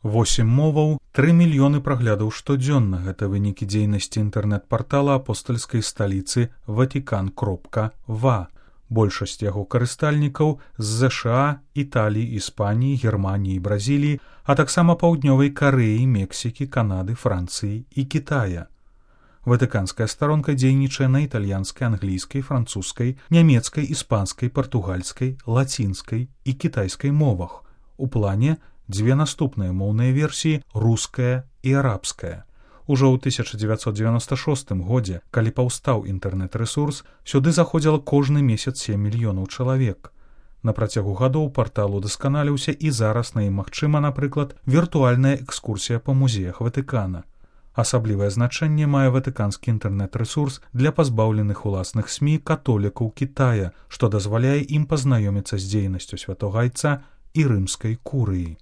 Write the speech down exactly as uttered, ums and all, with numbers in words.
восем моваў, тры мільёны праглядаў штодзённа. Гэта вынікі дзейнасці інтэрнэт-партала апостальскай сталіцы Ватикан кропка ва. Большасць яго карыстальнікаў з ЗША, Італіі, Іспаніі, Германіі, Бразіліі, а таксама паўднёвай Карэі, Мексікі, Канады, Францыі і Кітая. Ватыканская старонка дзейнічае на італьянскай, англійскай, французскай, нямецкай, іспанскай, партугальскай, лацінскай і кітайскай мовах. У плане дзве наступныя моўныя версіі — руская і арабская. Ужо ў тысяча дзевяцьсот дзевяноста шостым годзе, калі паўстаў інтэрнэт-рэсурс, сюды заходзіла кожны месяц сем мільёнаў чалавек. На працягу гадоў партал удасканаліўся і зараз на ім магчыма, напрыклад, віртуальная экскурсія па музеях Ватыкана. Асаблівае значэнне мае ватыканскі інтэрнэт-рэсурс для пазбаўленых уласных СМІ католікаў Кітая, што дазваляе ім пазнаёміцца з дзейнасцю святога айца і рымскай курыі.